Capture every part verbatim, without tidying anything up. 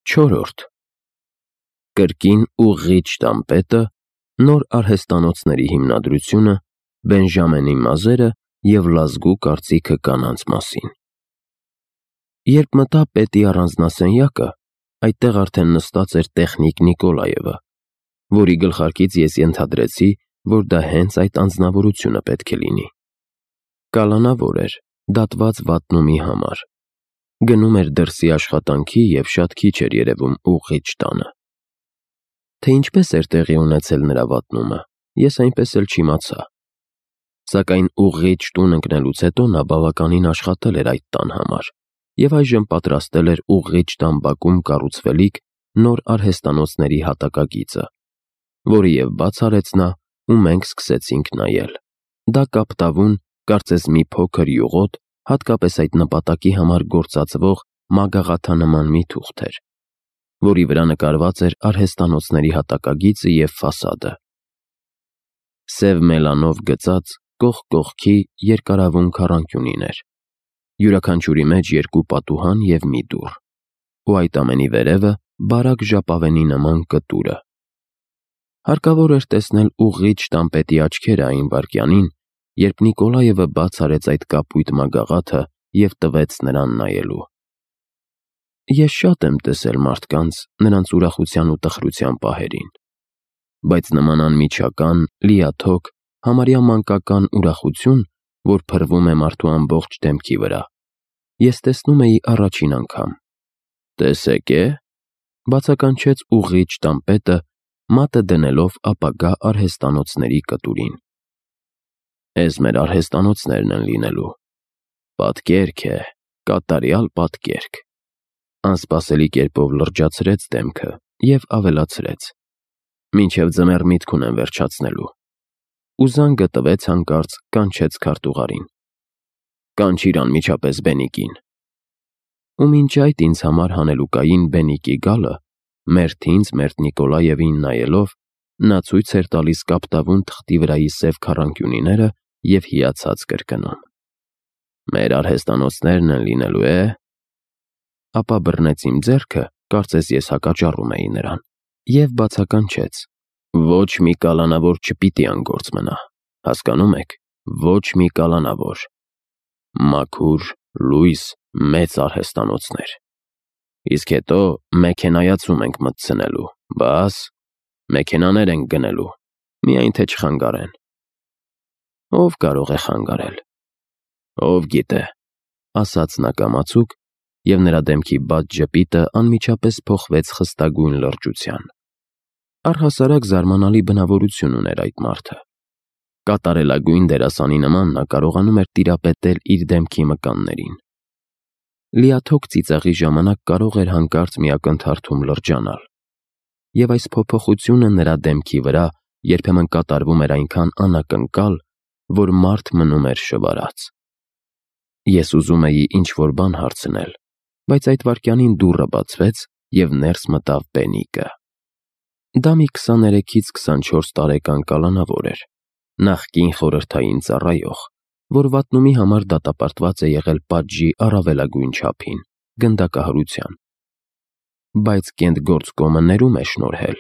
Չորրորդ Կրկին ուղղիչ տամպետը, նոր արհեստանոցների հիմնադրությունը, Բենժամենի մազերը և լազգու կարծիքը կանանց մասին։ Երբ մտա պետի առանձնասենյակը, այդտեղ արդեն նստած էր տեխնիկ Նիկոլաևը, որի գլխարկից ես ենթադրեցի, որ դա հենց այդ անձնավորությունը պետք է լինի։ Կալանավոր էր, դատված վատնումի համար։ Գնում էր դրսի աշխատանքի և շատ քիչ էր երևում ուղղիչ տանը։ Թե ինչպես էր տեղի ունեցել նրա վատնումը, ես այնպես էլ չիմացա։ Սակայն ուղղիչ տուն ընկնելուց հետո նա բավականին աշխատել էր այդ տան համար և այժմ պատրաստել էր ուղղիչ տան բակում կառուցվելիք նոր արհեստանոցների հատակագիծը, որը և բաց արեց նա, ու մենք սկսեցինք նայել։ Դա կապտավուն, կարծես մի փոքր յուղոտ, հատկապես այդ նպատակի համար գործածվող մագաղաթանման մի թուղթ էր, որի վրա նկարված էր արհեստանոցների հատակագիծը և ֆասադը։ Սև մելանով գծած, կողք կողքի երկարավուն քառանկյունին էր, յուրաքանչյուրի մեջ երկու պատուհան և մի դուռ, ու այդ ամենի վերևը բարակ ժապավենի նման կտուրը։ Հարկավոր էր տեսնել ուղղիչ տամպետի աչքերը այն վայրկյանին, երբ Նիկոլաևը բաց արեց այդ կապույտ մագաղաթը և տվեց նրան նայելու։ Ես շատ եմ տեսել մարդկանց նրանց ուրախության ու տխրության պահերին, բայց նման անմիջական, լիաթոք, համարյա մանկական ուրախություն, որ փռվում է մարդու ամբողջ դեմքի վրա, ես տեսնում էի առաջին անգամ։ «Տեսեք է,» բացականչեց ուղղիչ տամպետը, մատը դնելով ապագա արհեստանոցների կտուրին։ «Էս մեր արհեստանոցներն են լինելու։ Պատկերք է, կատարյալ պատկերք,» անսպասելի կերպով լրջացրեց դեմքը և ավելացրեց. «Մինչև ձմեռ միտք ունեմ վերջացնելու», ու զանգը տվեց հանկարծ, կանչեց քարտուղարին. «Կանչիր անմիջապես Բենիկին»։ Ու մինչ այդ ինձ համար հանելուկային Բենիկի գալը, մերթ ինձ, մերթ Նիկոլաևին նայելով, նա ցույց էր տալիս կապտավուն թղթի վրայի սև քառանկյունիները և հիացած կրկնում. «Մեր արհեստանոցներն են լինելու, է՞»։ Ապա բռնեց իմ ձեռքը, կարծես ես հակաճառում էի նրան, և բացականչեց. «Ոչ մի կալանավոր չպիտի անգործ մնա, հասկանո՞ւմ եք, ոչ մի կալանավոր։ Մաքուր, լույս, մեծ արհեստանոցներ։ Իսկ հետո մեքենայացում ենք մտցնելու, բաս, մեքենաներ ենք գնելու, միայն թե չխանգարեն»։ «Ով կարող է խանգարել»։ «Ով գիտե», ասաց նա կամացուկ, և նրա դեմքի բաց ժպիտը անմիջապես փոխվեց խստագույն լրջության։ Առհասարակ զարմանալի բնավորություն ուներ այդ մարդը։ Կատարելագույն դերասանի նման նա կարողանում էր տիրապետել իր դեմքի մկաններին։ Լիաթոք ծիծաղի ժամանակ կարող էր հանկարծ մի ակնթարթում լրջանալ, և այս փոփոխությունը նրա դեմքի վրա երբեմն կատարվում էր այնքան անակնկալ, որ մարդ մնում էր շվարած։ Ես ուզում էի ինչ-որ բան հարցնել, բայց այդ վայրկյանին դուռը բացվեց, և ներս մտավ Բենիկը։ Դա մի քսաներեքից քսանչորս տարեկան կալանավոր էր, նախկին խորհրդային ծառայող, որ վատնումի համար դատապարտված է եղել պատժի առավելագույն չափին՝ գնդակահարության։ Բայց կենտգործկոմը ներում է շնորհել,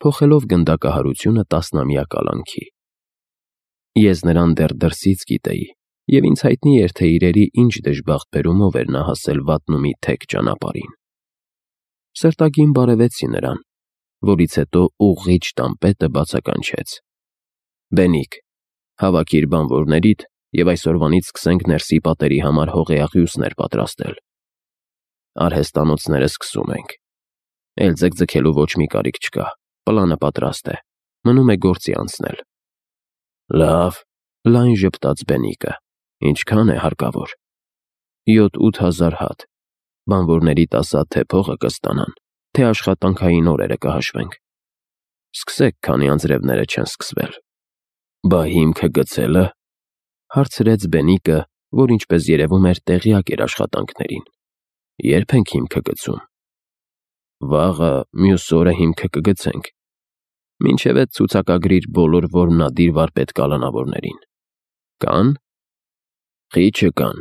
փոխելով գնդակահարությունը տասնամյա կալանքի։ Ես նրան դեռ դրսից գիտեի, և ինձ հայտնի էր, թե իրերի ինչ դժբախտ բերումով էր նա հասել վատնումի թեք ճանապարհին։ Սրտագին բարևեցի նրան, որից հետո ուղղիչ տամպետը բացականչեց. «Բենիկ, հավաքիր բանվորներիդ և այսօրվանից սկսենք ներսի պատերի համար հողեաղյուսներ պատրաստել։ Արհեստանոցները սկսում ենք։ Էլ ձգձգելու ոչ մի կարիք չկա, պլանը պատրաստ է, մնում է գործի անցնել»։ «Լավ», լայն ժպտաց Բենիկը, «ինչքան է հարկավոր»։ «Յոթ-ութ հազար հատ, բանվորներիդ ասա, թե փողը կստանան, թե աշխատանքային օրերը կհաշվենք։ Սկսեք, քանի անձրևները չեն սկսվել»։ «Բա հիմքը գցելը», հարցրեց Բենիկը, որ ինչպես երևում էր տեղյակ էր աշխատանքներին, «ե՞րբ ենք հիմքը գցում»։ «Վաղը, մյուս օրը հիմքը կգցենք։ Մինչև էդ ցուցակագրիր բոլոր որմնադիր վարպետ-կալանավորներին։ Կա՞ն»։ «Խիչը կան,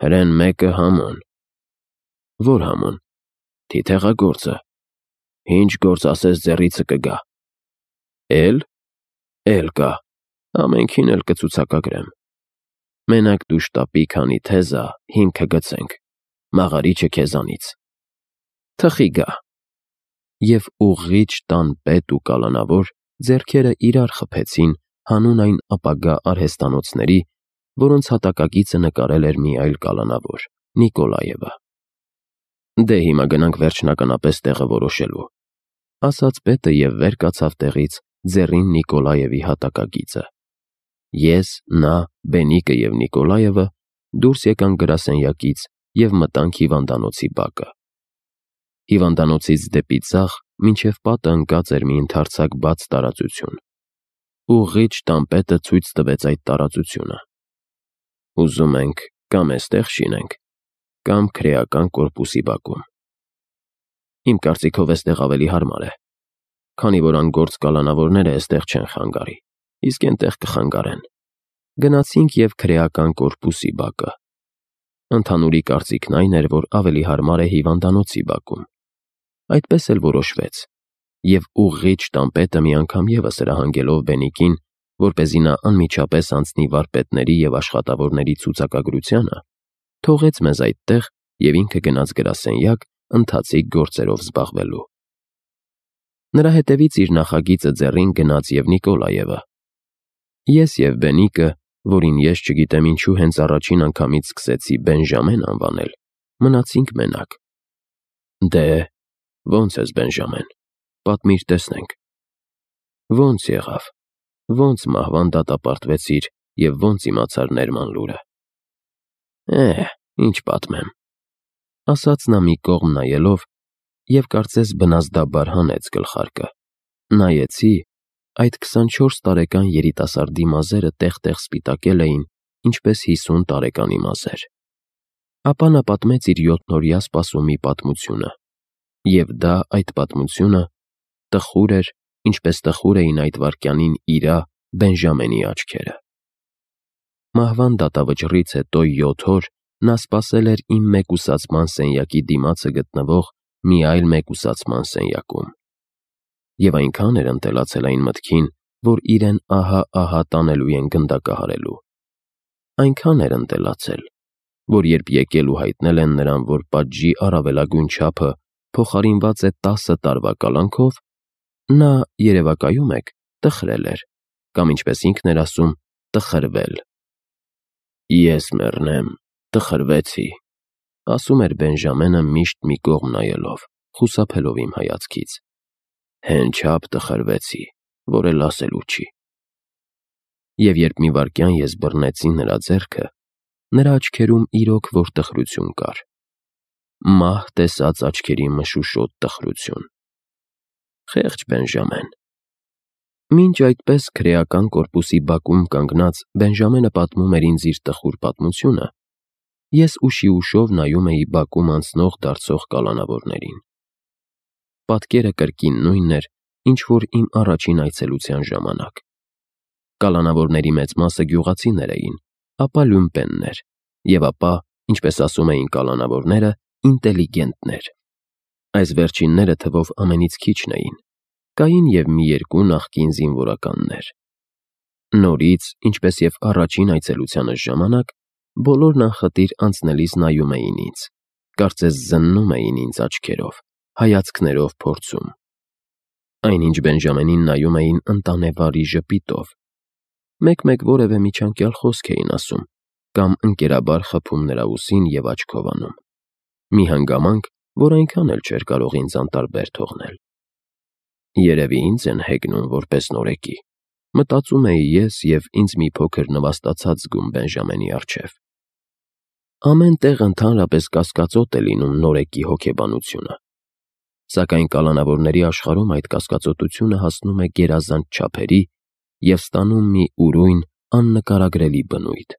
հրեն մեկը համոն»։ «Ո՞ր համոն»։ Որդի թեղագործը։ Ինչ գործ ասես ձեռիցը կգա։ Էլ, էլ կա, ամենքին էլ կցուցակագրեմ։ Մենակ դու շտապի, քանի թեզա, հիմքը գցենք, մաղարիչը քեզանից։ Թխի գա։ Եվ ուղղիչ տան պետ ու կալանավոր ձեռքերը իրար խփեցին հանուն այն ապագա արհեստանոցների, որոնց հատակագիծը նկարել էր մի այլ կալանավոր, Նիկոլաևը։ Դե հիմա գնանք վերջնականապես տեղը որոշելու, ասաց պետը և վեր կացավ տեղից ձեռին Նիկոլաևի հատակագիծը։ Ես, նա, Բենիկը և Նիկոլաևը դուրս եկանք գրասենյակից և մտանք հիվանդանոցի բակը։ Հիվանդանոցից դեպի ձախ մինչև պատը ընկած էր մի ընդարձակ բաց տարածություն։ Ուղղիչ տան պետը ցույց տվեց այդ տարածությունը։ Ուզում ենք կամ էստեղ շինենք, կամ քրեական կորպուսի բակում։ Իմ կարծիքով էստեղ ավելի հարմար է, քանի որ անգործ կալանավորները էստեղ չեն խանգարի, իսկ էնտեղ կխանգարեն։ Գնացինք և քրեական կորպուսի բակը։ Ընդհանուրի կարծիքն այն էր, որ ավելի հարմար է հիվանդանոցի բակում։ Այդպես էլ որոշվեց, և ուղղիչ տան պետը մի անգամ ևս հրահանգելով Բենիկին, որպեսզի նա անմիջապես անցնի վարպետների և աշխատավորների ցուցակագրությանը, թողեց մեզ այդտեղ և ինքը գնաց գրասենյակ ընթացիկ գործերով զբաղվելու։ Նրա հետևից իր նախագիծը ձեռին գնաց և Նիկոլաևը։ Ես և Բենիկը, որին ես չգիտեմ ինչու հենց առաջին անգամից սկսեցի Բենժամեն անվանել, մնացինք մենակ։ Դե, ո՞նց ես, Բենժամեն, պատմիր տեսնենք։ Ո՞նց եղավ, ո՞նց մահվան դատապարտվեցիր և ո՞նց իմացար ներման լուրը։ Է, ինչ պատմեմ, ասաց նա մի կողմ նայելով և կարծես բնազդաբար հանեց գլխարկը։ Նայեցի, այդ քսանչորս տարեկան երիտասարդի մազերը տեղ-տեղ սպիտակել էին, ինչպես հիսուն տարեկանի մազեր։ Ապա նա պատմեց իր յոթնօրյա սպասումի պատմությունը, և դա այդ պատմությունը տխուր էր, ինչպես տխուր էին այդ վայրկյանին իրա, Բենժամենի աչքերը։ Մահվան դատավճռից հետո յոթ օր նա սպասել էր իմ մեկուսացման սենյակի դիմացը գտնվող մի այլ մեկուսացման սենյակում։ Եվ այնքան էր ընտելացել այն մտքին, որ իրեն ահա-ահա տանելու են գնդակահարելու։ Այնքան էր ընտելացել, որ երբ եկել ու հայտնել են նրան, որ պատժի առավելագույն չափը փոխարինված է տասը տարվա կալանքով, նա, երևակայում եք, տխրել էր, կամ ինչպես ինքն էր ասում, տխրվել։ Ես մեռնեմ, տխրվեցի, ասում էր Բենժամենը միշտ մի կողմ նայելով, խուսափելով իմ հայացքից։ Հեն չափ տխրվեցի, որ էլ ասելու չի։ Եվ երբ մի վայրկյան ես բռնեցի նրա ձեռքը, նրա աչքերում իրոք որ տխրություն կար։ Մահ տեսած աչքերի մշուշոտ տխրություն։ Խեղճ Բենժամեն։ Մինչ այդպես քրեական կորպուսի բակում կանգնած Բենժամենը պատմում էր ինձ իր տխուր պատմությունը, ես ուշի-ուշով նայում էի բակում անցնող դարձող կալանավորներին։ Պատկերը կրկին նույնն էր, ինչ որ իմ առաջին այցելության ժամանակ։ Կալանավորների մեծ մասը գյուղացիներ էին, ապա լյումպեններ, և ապա, ինչպես ասում էին կալանավորները, ինտելիգենտներ։ Այս վերջինները թվով ամենից քիչն էին, կային և մի երկու նախկին զինվորականներ։ Նորից, ինչպես և առաջին այցելությանս ժամանակ, բոլորն անխտիր անցնելիս նայում էին ինձ, կարծես զննում էին ինձ աչքերով, հայացքներով փորձում։ Այնինչ Բենժամենին նայում էին ընտանեվարի ժպիտով, մեկ-մեկ որևէ միջանկյալ խոսք էին ասում կամ ընկերաբար խփում նրա ուսին և աչքով անում։ Մի հանգամանք, որ այնքան էլ չէր կարող ինձ անտարբեր թողնել։ Երևի ինձ են հեգնում որպես նորեկի, մտածում էի ես և ինձ մի փոքր նվաստացած զգում Բենժամենի առջև։ Ամեն տեղ ընդհանրապես կասկածոտ է լինում նորեկի հոգեբանությունը, սակայն կալանավորների աշխարհում այդ կասկածոտությունը հասնում է գերազանց չափերի և ստանում մի ուրույն, աննկարագրելի բնույթ։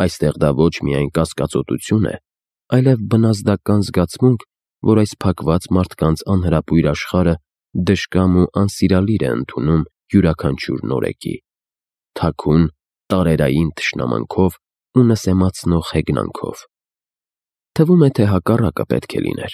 Այստեղ դա ոչ միայն կասկածոտություն է, այլև բնազդական զգացմունք, որ այս փակված մարդկանց անհրապույր աշխարհը դժկամ ու անսիրալիր է ընդունում յուրաքանչյուր նորեկի, թաքուն, տարերային թշնամանքով ու նսեմացնող հեգնանքով։ Թվում է, թե հակառակը պետք է լիներ։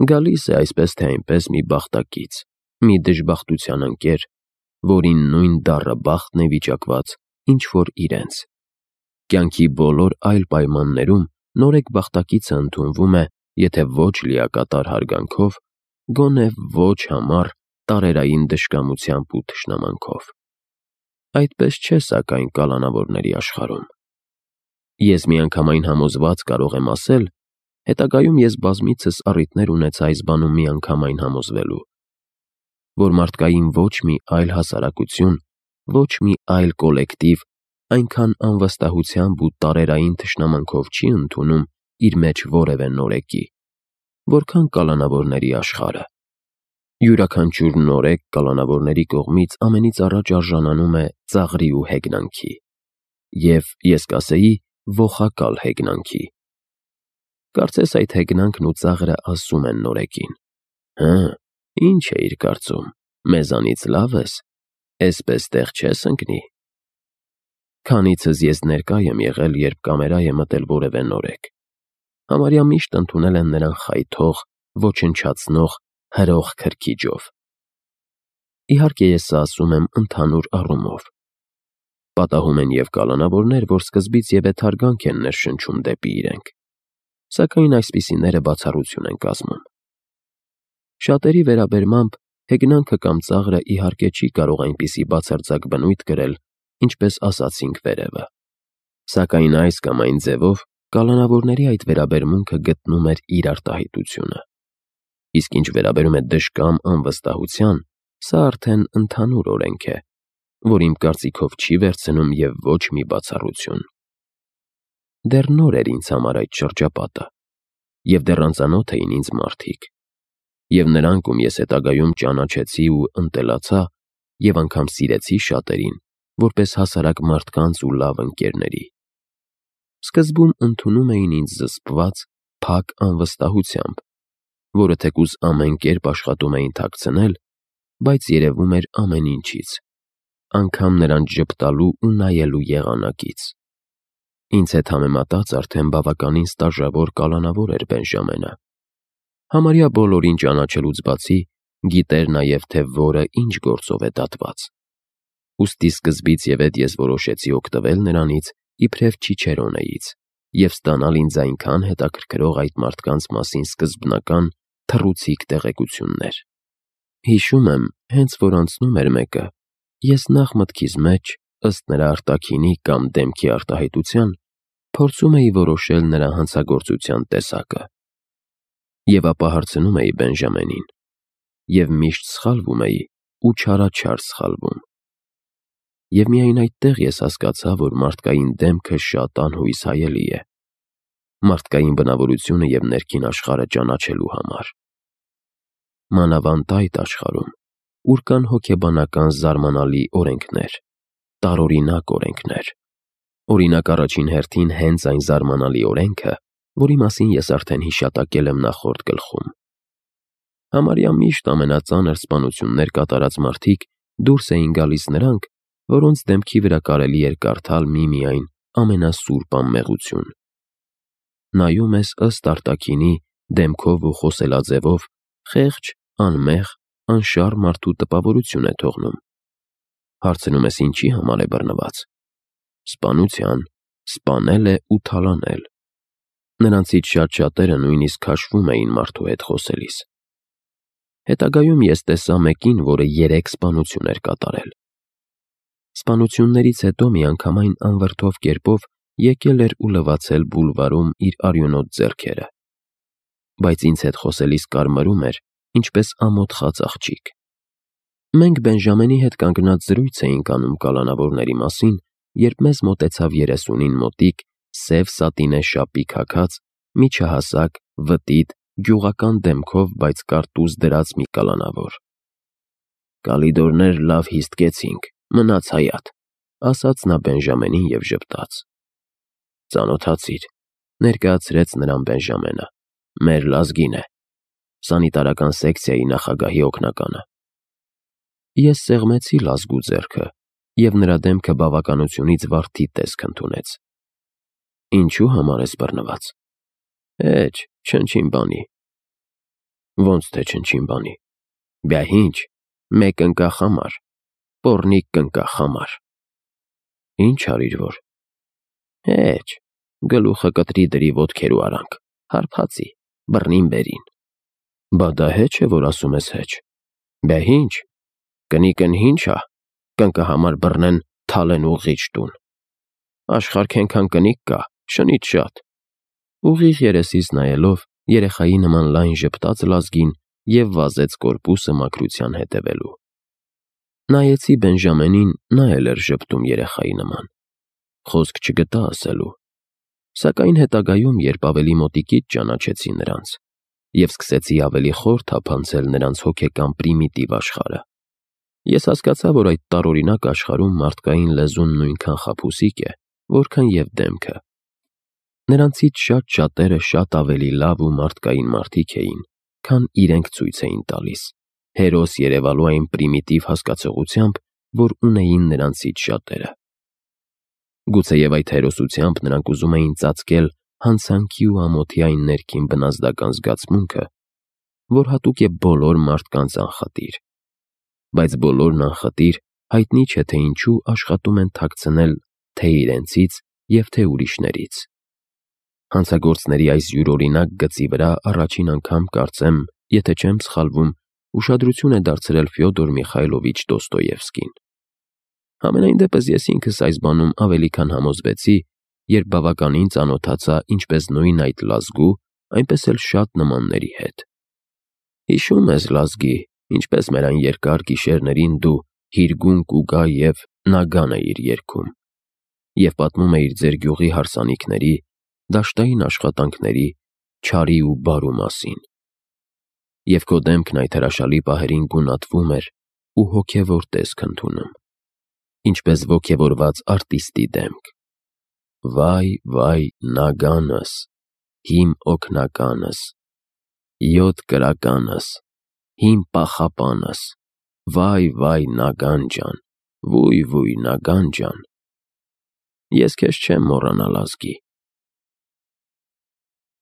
Գալիս է այսպես թե այնպես մի բախտակից, մի դժբախտության ընկեր, որին նույն դառը բախտն է վիճակված, ինչ որ իրենց։ Կյանքի բոլոր այլ պայմաններում նորեկ բախտակիցը ընդունվում է, եթե ոչ լիակատար հարգանքով, գոնե ոչ համառ տարերային դժկամությամբ ու թշնամանքով։ Այդպես չէ սակայն կալանավորների աշխարհում։ Ես միանգամայն համոզված կարող եմ ասել, հետագայում ես բազմիցս առիթներ ունեցա այս բանում միանգամայն համոզվելու, որ մարդկային ոչ մի այլ հասարակություն, ոչ մի այլ կոլեկտիվ այնքան անվստահությամբ ու տարերային թշնամանքով չի ընդունում իր մեջ որևէ նորեկի, որքան կալանավորների աշխարհը։ Յուրաքանչյուր նորեկ կալանավորների կողմից ամենից առաջ արժանանում է ծաղրի ու հեգնանքի, և ես կասեի ողակալ հեգնանքի։ Կարծես այդ հեգնանքն ու ծաղրը ասում են նորեկին. «Հը, ի՞նչ էիր կարծում, մեզանից լավ ես, էսպես տեղ չես ընկնի»։ Քանիցս ես ներկա եմ եղել, երբ կամերա է մտել որևէ նորեկ, համարյա միշտ ընդունել են նրան խայթող, ոչնչացնող, հրող քրքիջով։ Իհարկե ես սա ասում եմ ընդհանուր առումով։ Պատահում են և կալանավորներ, որ սկզբից և եթարգանք են ներշնչում դեպի իրենք, սակայն այսպիսիները բացառություն են կազմում։ Շատերի վերաբերմամբ հեգնանքը կամ ծաղրը իհարկե չի կարող այնպիսի բացարձակ բնույթ կրել, ինչպես ասացինք վերևը, սակայն այս կամ այն ձևով կալանավորների այդ վերաբերմունքը գտնում էր իր արտահայտությունը։ Իսկ ինչ վերաբերում է դժկամ անվստահության, սա արդեն ընդհանուր օրենք է, որ իմ կարծիքով չի վերցնում և ոչ մի բացառություն։ Դեռ նոր էր ինձ համար այդ շրջապատը, և դեռ անծանոթ էին ինձ մարդիկ, և նրանք, ում ես հետագայում ճանաչեցի ու ընտելացա, և անգամ սիրեցի շատերին, որպես հասարակ մարդկանց ու լավ ընկերների, սկզբում ընդունում էին ինձ զսպված, փակ անվստահությամբ, որը թեկուզ ամեն կերպ աշխատում էին թաքցնել, բայց երևում էր ամեն ինչից, անգամ նրանց ժպտալու ու նայելու եղանակից։ Ինձ հետ համեմատած արդեն բավականին ստաժավոր կալանավոր էր Բենժամենը։ Համարյա բոլորին ճանաչելուց բացի, գիտեր նաև, թե որը ինչ գործով է դատված։ Ուստի սկզբից և էդ ես որոշեցի օգտվել նրանից իբրև Չիչերոնեից և ստանալ ինձ այնքան հետաքրքրող այդ մարդկանց մասին սկզբնական, թռուցիկ տեղեկություններ։ Հիշում եմ, հենց որ անցնում էր մեկը, ես նախ մտքիս մեջ, ըստ նրա արտաքինի կամ դեմքի արտահայտության, փորձում էի որոշել նրա հանցագործության տեսակը։ Եվ ապա հարցնում էի Բենժամենին, և միշտ սխալվում էի ու չարաչար սխալվում։ Եվ միայն այդտեղ ես հասկացա, որ մարդկային դեմքը շատ անհույս հայելի է, մարդկային բնավորությունը և ներքին աշխարհը ճանաչելու համար։ Մանավանդ այդ աշխարհում, ուր կան հոգեբանական զարմանալի օրենքներ, տարօրինակ օրենքներ։ Օրինակ, առաջին հերթին հենց այն զարմանալի օրենքը, որի մասին ես արդեն հիշատակել եմ նախորդ գլխում։ Համարյա միշտ ամենածանր սպանություններ կատարած մարդիկ դուրս էին գալիս նրանք, որոնց դեմքի վրա կարելի էր կարդալ միմիայն ամենասուրբ անմեղություն։ Նայում ես ըստ արտաքինի, դեմքով ու խոսելաձևով, խեղճ, անմեղ, անշառ մարդու տպավորություն է թողնում։ Հարցնում ես ինչի համար է բռնված։ Սպանության, սպանել է ու թալանել։ Նրանցից շատ-շատերը նույնիսկ քաշվում էին մարդու հետ խոսելիս։ Հետագայում ես տեսա մեկին, որը երեք սպանություն էր կատարել։ Սպանություններից հետո միանգամայն անվրդով կերպով եկել էր ու լվացել բուլվարում իր արյունոտ ձեռքերը, բայց ինձ հետ խոսելիս կարմրում էր, ինչպես ամոթխած աղջիկ։ Մենք Բենժամենի հետ կանգնած զրույց էինք անում կալանավորների մասին, երբ մեզ մոտեցավ երեսունին մոտիկ, սև սատինե շապիկ հագած, միջահասակ, վտիտ, գյուղական դեմքով, բայց կարտուզ դրած մի կալանավոր։ «Կալիդորներ լավ հիստկեցինք, մնաց հայատ», ասաց նա Բենժամենին և ժպտաց։ «Ծանոթացիր», ներկայացրեց նրան Բենժամենը, «մեր լազգին է, սանիտարական սեկցիայի նախագահի օգնականը»։ Ես սեղմեցի լազգու ձեռքը, և նրա դեմքը բավականությունից վարդի տեսք ընդունեց։ «Ինչու համար ես բռնված»։ «Էջ, չնչին բանի»։ ոնց թե չնչին բանի։ Բյա ինչ, մեկ ընկա խամար, պորնիկ կնկա խամար։ Ինչ արիր որ։ Հեչ, գլուխը կտրի դրի ոտքերու արանք, հարբացի, բռնին բերին։ Բա դա հեչ է, որ ասում ես հեչ։ Բյա ինչ, կնիկն ինչա, կնկա համար բռնեն թալեն ուղիչ տուն։ Աշխարհ քենքան կնիկ կա, շնից շատ։ Ուղիղ երեսից նայելով երեխայի նման լայն ժպտաց Լազգին և վազեց կորպուսը մաքրության հետևելու։ Նայեցի Բենժամենին, նա էլ էր ժպտում երեխայի նման։ Խոսք չգտա ասելու։ Սակայն հետագայում, երբ ավելի մոտիկից ճանաչեցի նրանց, և սկսեցի ավելի խոր թափանցել նրանց հոգեկան պրիմիտիվ աշխարհը, ես հասկացա, որ այդ տարօրինակ աշխարհում մարդկային լեզուն նույնքան խաբուսիկ է, որքան և դեմքը։ Նրանցից շատ շատերը շատ ավելի լավ ու մարդկային մարդիկ էին, քան իրենք ցույց էին տալիս, հերոս երևալու այն պրիմիտիվ հասկացողությամբ, որ ունեին նրանցից շատերը։ Գուցեև այդ հերոսությամբ նրանք ուզում էին ծածկել հանցանքի ու ամոթի այն ներքին բնազդական զգացմունքը, որ հատուկ է բոլոր մարդկանց անխտիր, բայց բոլորն անխտիր հայտնի չէ, թե ինչու աշխատում են թաքցնել թե իրենցից և թե ուրիշներից։ Հանցագործների այս յուրօրինակ գծի վրա առաջին անգամ, կարծեմ, եթե չեմ սխալվում, ուշադրություն է դարձրել Ֆյոդոր Միխայլովիչ Դոստոևսկին։ Համենայն դեպս ես ինքս այս բանում ավելի քան համոզվեցի, երբ բավականին ծանոթացա ինչպես նույն այդ Լազգու, այնպես էլ շատ նմանների հետ։ Հիշում ես, Լազգի, ինչպես մեր այն երկար գիշերներին դու հիրգունք ու գա և նագան էիր երգում, և պատմում էիր ձեր գյուղի հարսանիքների, դաշտային աշխատանքների, չարի ու բարու մասին։ Եվ քո դեմքն այդ հրաշալի պահերին գունատվում էր ու հոգևոր տեսք ընդունում, ինչպես ոգևորված արտիստի դեմք։ Վայ, վայ, նագանս, հիմ օգնականս, յոթ կրականս, հիմ պախապանս, վայ, վայ, նագան ջան, վույ, վույ, նագան ջան։ Ես քեզ չեմ մոռանա, Լազգի,